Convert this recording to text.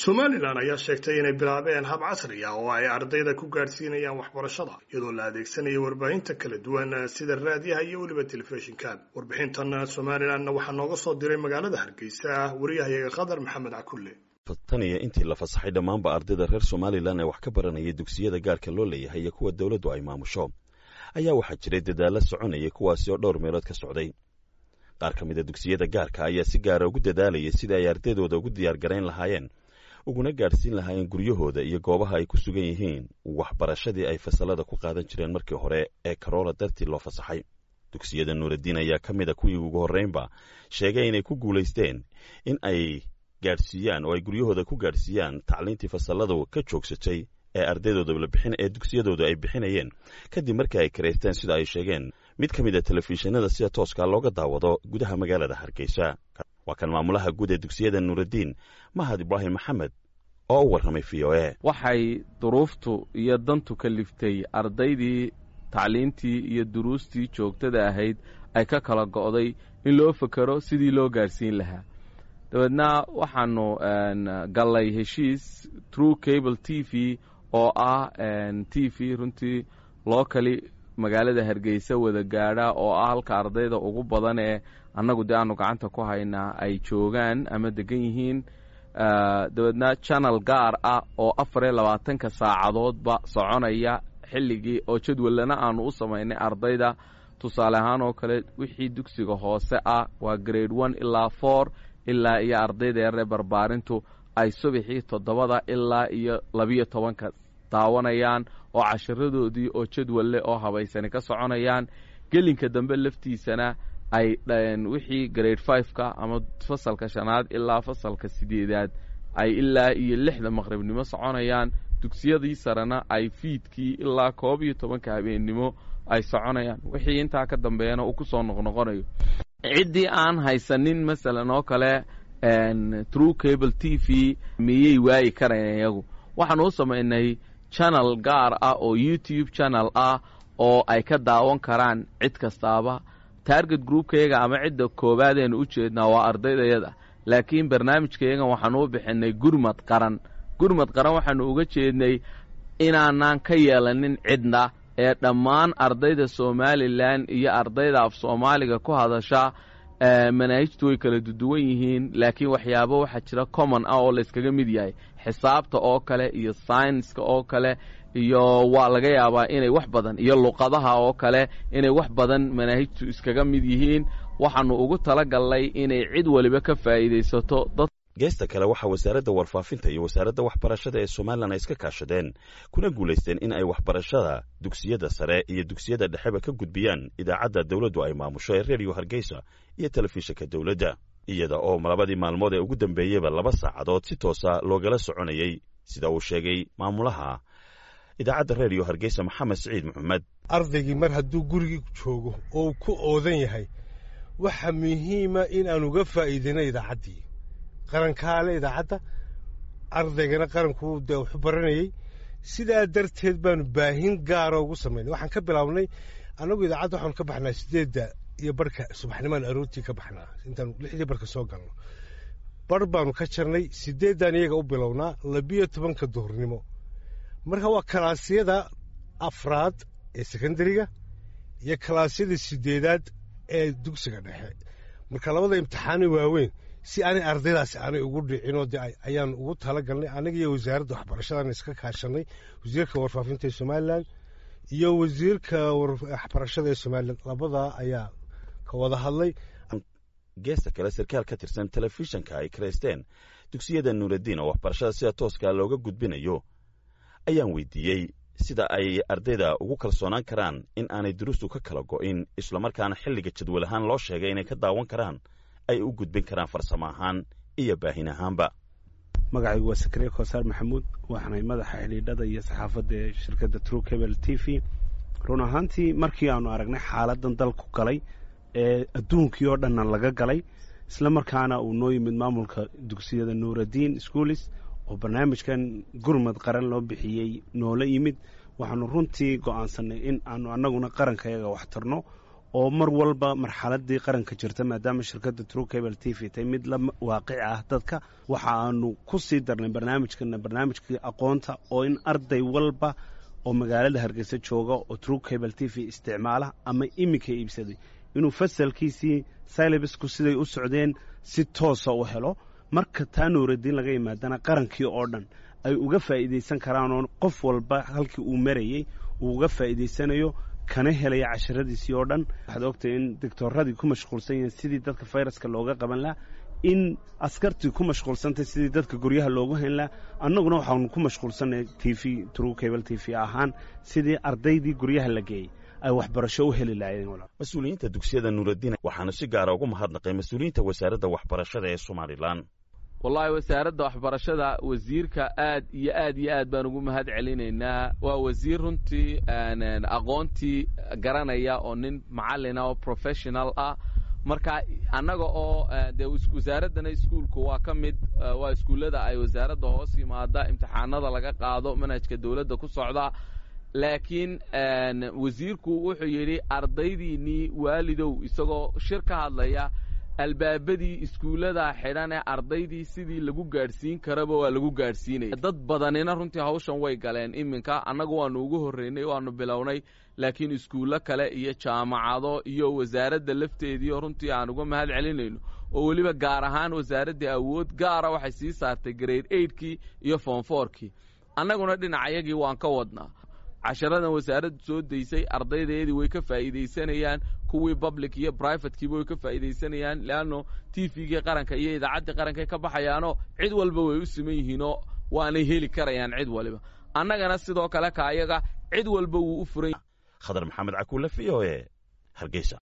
Somaliland ayaa sheegtay inay bilaabeen hab casri ah oo ay ardayda ku gaadhsiinayaan waxbarashada, iyadoo la adeegsanayo warbaahinta kala duwan sida raadiyaha iyo weliba telefishinka. Warbixintan Somalilandna waxaa nooga soo diray magaalada Hargeysa wariyahayaga Khadar Maxamed Cakulle. Tan iyo intii la fasaxay dhammaanba ardayda reer Somaliland ee wax ka baranaya dugsiyada gaarka loo leeyahay iyo kuwa dowladdu ay maamusho, ayaa waxaa jiray dadaalla soconaya, kuwaasi oo dhowr meelood ka socday. Qaar ka mid a dugsiyada gaarka ayaa si gaara ugu dadaalayay sidii ay ardaydooda ugu diyaar garayn lahaayeen, uguna gaadhsiin lahaayeen guryahooda iyo goobaha ay ku sugan yihiin waxbarashadii ay fasallada ku qaadan jireen markii hore ee korona dartii loo fasaxay. Dugsiyada Nuuraddiin ayaa ka mid a kuwii ugu horraynba sheegay inay ku guulaysteen in ay gaadhsiiyaan oo ay guryahooda ku gaadhsiiyaan tacliintii fasalladu ka joogsatay ee ardaydooda la bixin ee dugsiyadooda ay bixinayeen, kadib markii ay karaysteen, sida ay sheegeen, mid ka mid a telefishinada sida tooskaa looga daawado gudaha magaalada Hargeysa. Waa kan maamulaha guud ee dugsiyada Nuuraddiin, Mahad Ibraahim Maxamed, oo u warramay VOA. Waxay duruuftu iyo dantu kaliftay ardaydii tacliintii iyo duruustii joogtada ahayd ay ka kala go'day in loo fekero sidii loo gaadhsiin lahaa. Dabeedna waxaanu gallay heshiis True Cable TV, oo ah TV runtii locally magaalada Hargeysa wada gaadha, oo ah halka ardayda ugu badan ee annagu dee aanu gacanta ku haynaa ay joogaan ama degan yihiin. Dabeedna channel gaar ah oo 24-ka saacadoodba soconaya xilligii oo jadwallana aanu u samaynay ardayda. Tusaale ahaan oo kale, wixii dugsiga hoose ah, waa grade 1 ilaa 4, ilaa iyo ardayda yaree barbaarintu ay subaxii 7-da ilaa iyo 12-ka daawanayaan, oo cashiradoodii oo jadwalle oo habaysani ka soconayaan. Gelinka dambe laftiisana ay wixii grade 5-ka ama fasalka shanaad ilaa fasalka sideedaad ay ilaa iyo 6-da maqribnimo soconayaan. Dugsiyadii sarena ay fiidkii ilaa 11-ka habeennimo ay soconayaan, wixii intaa ka dambeeyana uu ku soo noqnoqonayo. Ciddii aan haysanin, masalan oo kale, True Cable TV, miyay waayi karayan iyagu? Waxaanu u samaynay channel gaar ah oo YouTube channel ah oo ay ka daawan karaan cid kastaaba. Target groupkayaga ama cidda koowaadaynu u jeednaa waa ardaydayada, laakiin barnaamijkayagan waxaanu u bixinay Gurmad Qaran. Gurmad Qaran waxaanu uga jeednay inaanaan ka yeelanin cidna ee dhammaan ardayda Somaliland iyo ardayda af Soomaaliga ku hadasha. Manaahijtu way kala duwan yihiin, laakiin waxyaabo waxaa jira common ah oo layskaga mid yahay, xisaabta oo kale iyo sayniska oo kale, iyo waa laga yaabaa inay wax badan iyo luqadaha oo kale inay wax badan manaahijtu iskaga mid yihiin. Waxaanu ugu talagalnay inay cid waliba ka faa'iidaysato dad. Geesta kale, waxaa wasaaradda warfaafinta iyo wasaaradda waxbarashada ee Somaliland ay iska kaashadeen kuna guulaysteen in ay waxbarashada dugsiyada sare iyo dugsiyada dhexeba ka gudbiyaan idaacadda dowladdu ay maamusho ee Redio Hargeysa iyo telefishinka dowladda, iyada oo labadii maalmood ee ugu dambeeyeyba 2 saacadood si toosa loogala soconayey, sida uu sheegay maamulaha idaacadda Redio Hargeysa, Maxamed Siciid Maxamed. Ardaygii mar hadduu gurigii joogo oo uu ku oodan yahay, waxa muhiima in aan uga faa'iidayno idaacaddii qarankaale. Idaacadda ardaygana qaranku dee waxu baranayey. Sidaa darteed baanu baahin gaara ugu samaynay. Waxaan ka bilaabnay annagu idaacadda, waxaanu ka baxnaa 8:30 subaxnimaan aroortii ka baxnaa. Intaanu 6-dii barka soo galno, bar baanu ka jarnay, 8-dan iyaga u bilownaa 12-ka duhurnimo. Marka waa kalaasyada afraad ee sekondariga iyo kalaasyada sideedaad ee dugsiga dhexe. Marka labada imtixaano waaweyn si aanay ardaydaasi aanay ugu dhicinoo de ayaan ugu talagalnay, anaga iyo wasaaradda waxbarashadan iska kaashanay, wasiirka warfaafinta ee Somaliland iyo wasiirka waxbarashada ee Somaliland, labadaa ayaa ka wada hadlay. Geesta kale, sarkaal ka tirsan telefishanka ay karaysteen dugsiyada Nuuraddiin oo waxbarashada sida tooskaa looga gudbinayo ayaan weydiiyey sida ay ardayda ugu kalsoonaan karaan in aanay duruustu ka kala go'in, islamarkaana xilliga jadwal ahaan loo sheegay inay ka daawan karaan ay u gudbin karaan farsamo ahaan iyo baahin ahaanba. Magacaygu waa Sakariya Koosaar Maxamuud, waxaanay madaxa xidhiidhada iyo saxaafadda ee shirkadda True Cable TV. Run ahaantii, markii aanu aragnay xaaladan dalku galay ee adduunkii oo dhanna laga galay, isla markaana uu noo yimid maamulka dugsiyada Nuuraddiin Schools oo barnaamijkan Gurmad Qaran loo bixiyey noola yimid, waxaanu runtii go'aansanay in aanu annaguna qarankayaga wax tarno. Oo mar walba marxaladii qaranka jirta, maadaama shirkadda True Cable TV tay mid la waaqici ah dadka, waxa aanu ku sii darnay barnaamijkana barnaamijkii aqoonta, oo in arday walba oo magaalada Hargeysa jooga oo True Cable TV isticmaala ama iminka iibsaday inuu fasalkiisii syllabusku siday u socdeen si toosa u helo. Marka taa Nuuraddiin laga yimaadana, qarankii oo dhan ay uga faa'iidaysan karaanoo qof walba halkii uu marayey uu uga faa'iidaysanayo, kana helaya casharadiisii oo dhan. Waxaad ogtay in doctoradii ku mashquulsan yihiin sidii dadka fayraska looga qaban lahaa, in askartii ku mashquulsantay sidii dadka guryaha loogu hayn lahaa. Annaguna waxaanu ku mashquulsanay TV, True Cable TV ahaan, sidii ardaydii guryaha la geeyey ay waxbarasho u heli lahaayeen. Mas-uuliyiinta dugsiyada Nuuraddiin waxaanu si gaara ugu mahadnaqay mas-uuliyiinta Wasaaradda Waxbarashada ee Somalilan. Wallaahi, Wasaaradda Waxbarashada, wasiirka aad iyo aad iyo aad baan ugu mahad celinaynaa. Waa wasiir runtii aqoontii garanaya oo nin macallina oo professional ah. Marka annaga oo dee wasaaraddana iskuulku waa ka mid, waa iskuullada ay wasaaradda hoos yimaada, imtixaanada laga qaado, manhajka dowladda ku socda. Laakiin wasiirku wuxuu yidhi: "Ardaydiinnii, waalidow," isagoo shir ka hadlaya, "albaabadii iskuullada xidhan ee ardaydii sidii lagu gaadhsiin karaba waa lagu gaadhsiinaya." Dad badanina runtii hawshan way galeen. Iminka annagu waanu ugu horreynay, waanu bilownay, laakiin iskuullo kale iyo jaamacado iyo wasaaradda lafteediio runtii aan uga mahad celinayno, oo weliba gaar ahaan wasaaraddii awood gaara waxay sii saartay grade eightkii iyo form fourkii. Annaguna dhinacayagii waan ka wadnaa. Casharadan wasaaraddu soo daysay ardaydeedii way ka faa'iidaysanayaan, kuwii public iyo privatekiiba way ka faa'iidaysanayaan, leanno TV-gii qaranka iyo idaacaddii qarankay ka baxayaanoo cid walba way u siman yihiinoo waanay heli karayaan cid waliba. Annagana sidoo kale kaayaga cid walba wuu u furan. Khadar Maxamed Cakuule, VOA, Hargeysa.